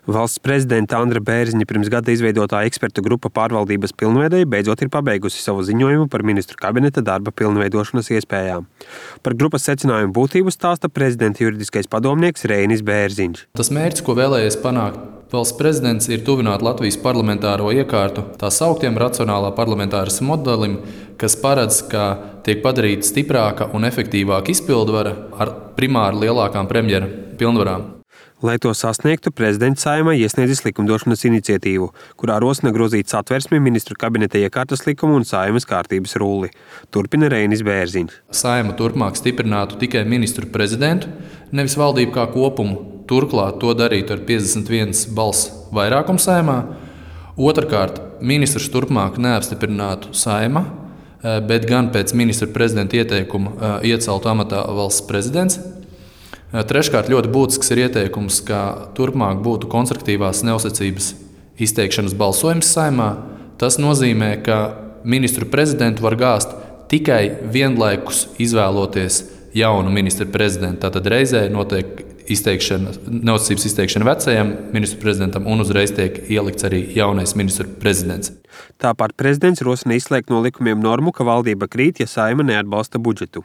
Valsts prezidenta Andra Bērziņa pirms gada izveidotā ekspertu grupa pārvaldības pilnveidei beidzot ir pabeigusi savu ziņojumu par ministru kabineta darba pilnveidošanas iespējām. Par grupas secinājumu būtību stāsta prezidenta juridiskais padomnieks Reinis Bērziņš. Tas mērķis, ko vēlējies panākt valsts prezidents, ir tuvināt Latvijas parlamentāro iekārtu tā sauktiem racionālā parlamentārisma modelim, kas paredz, ka tiek padarīta stiprāka un efektīvāka izpildvara ar primāri lielākām premjera pilnvarām. Lai to sasniegtu, prezidents Saeimā iesniedzis likumdošanas iniciatīvu, kurā rosina grozīt Satversmi, ministru kabineta iekārtas likumu un Saeimas kārtības rulli. Turpina Reinis Bērziņš. Saeima turpmāk stiprinātu tikai ministru prezidentu, nevis valdību kā kopumu. Turklāt to darītu ar 51 balss vairākumu Saeimā. Otrkārt, ministrs turpmāk neapstiprinātu Saeima, bet gan pēc ministra prezidenta ieteikuma ieceltu amatā valsts prezidents. Treškārt, ļoti būtisks ir ieteikums, ka turpmāk būtu konstruktīvās neuzticības izteikšanas balsojums Saeimā. Tas nozīmē, ka ministru prezidentu var gāzt tikai vienlaikus izvēloties jaunu ministru prezidentu. Tātad reizē notiek neuzticības izteikšana vecajam ministru prezidentam un uzreiz tiek ielikts arī jaunais ministru prezidents. Tāpat prezidents rosina izslēgt no likumiem normu, ka valdība krīt, ja Saeima neatbalsta budžetu.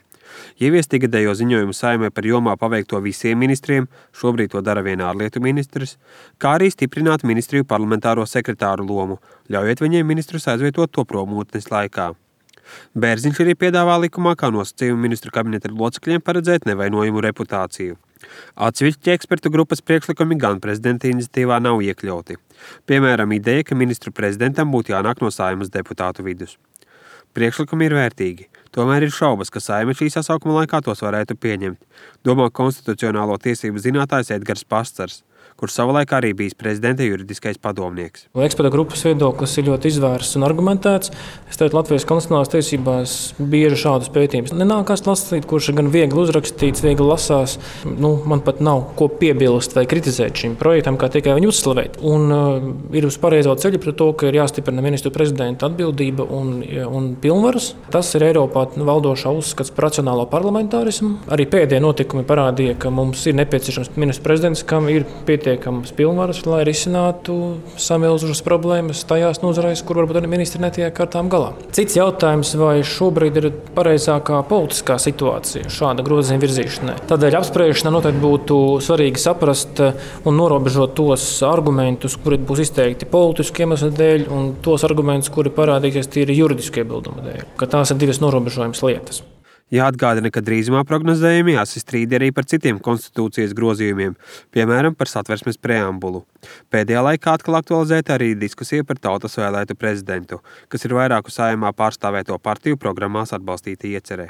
Ieviest ikgadējo ziņojumu Saeimai par jomā paveikto visiem ministriem, šobrīd to dara vien ārlietu ministrs, kā arī stiprināt ministriju parlamentāro sekretāru lomu, ļaujot viņiem ministrus aizvietot to promūtnes laikā. Bērziņš arī piedāvā likumā kā nosacījumu ministru kabineta locekļiem paredzēt nevainojumu reputāciju. Atsevišķi ekspertu grupas priekšlikumi gan prezidenta iniciatīvā nav iekļauti. Piemēram, ideja, ka ministru prezidentam būtu jānāk no Saeimas deputātu vidus. Priekšlikumi ir vērtīgi, tomēr ir šaubas, ka Saeima šī sasaukuma laikā tos varētu pieņemt, domā konstitucionālo tiesību zinātājs Edgars Pastars, kurš savulaik arī bijis prezidenta juridiskais padomnieks. Ekspertu grupas viedoklis ir ļoti izvērsts un argumentēts. Es teiktu, Latvijas konstitucionālās tiesībās bieži šādus pētījumus nenākās lasīt, kurš ir gan viegli uzrakstīts, viegli lasās. Man pat nav ko piebilst vai kritizēt šim projektam, kā tikai viņu uzslavēt. Ir uz pareizo ceļu pret to, ka ir jāstiprina ministru prezidenta atbildība un pilnvaras. Tas ir Eiropā valdošā uzskats par racionālo parlamentārismu. Arī pēdējie notikumi parādīja, ka mums ir nepieciešams ministru prezidents, kam ir pietiekamas pilnvaras, lai risinātu samilzušas problēmas tajās nozarēs, kur varbūt arī ministri netiek ar tām galā. Cits jautājums, vai šobrīd ir pareizākā politiskā situācija šāda grozījuma virzīšanai. Tādēļ apspriešanā noteikti būtu svarīgi saprast un norobežot tos argumentus, kuri būs izteikti politisku iemeslu dēļ, un tos argumentus, kuri parādīsies tīri juridisku iebildumu dēļ. Ka tās ir divas norobežojamas lietas. Jāatgādina, ka drīzumā prognozējumi jāsastrīd arī par citiem konstitūcijas grozījumiem, piemēram, par Satversmes preambulu. Pēdējā laikā atkal aktualizēta arī diskusija par tautas vēlētu prezidentu, kas ir vairāku Saeimā pārstāvēto partiju programmās atbalstīta iecerē.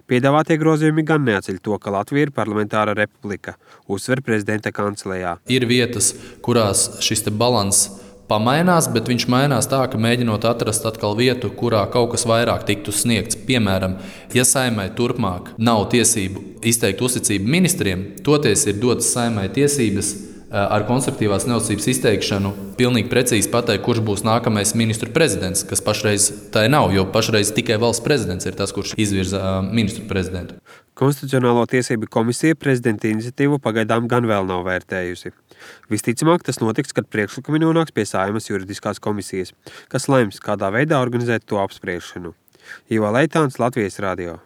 Piedāvātie grozījumi gan neatceļ to, ka Latvija ir parlamentāra republika, uzsver prezidenta kancelējā. Ir vietas, kurās šis balanss pamainās, bet viņš mainās tā, ka mēģinot atrast atkal vietu, kurā kaut kas vairāk tiktu sniegts. Piemēram, ja Saeimai turpmāk nav tiesību izteikt uzticību ministriem, toties ir dotas Saeimai tiesības ar konstruktīvās neuzticības izteikšanu pilnīgi precīzi pateikt, kurš būs nākamais ministru prezidents, kas pašreiz tā nav, jo pašreiz tikai valsts prezidents ir tas, kurš izvirza ministru prezidentu. Konstitucionālo tiesību komisija prezidenta iniciatīvu pagaidām gan vēl nav vērtējusi. Visticamāk, tas notiks, kad priekšlikumi nonāks pie Saeimas juridiskās komisijas, kas lems, kādā veidā organizēt to apspriešanu. Ivo Leitāns, Latvijas radio.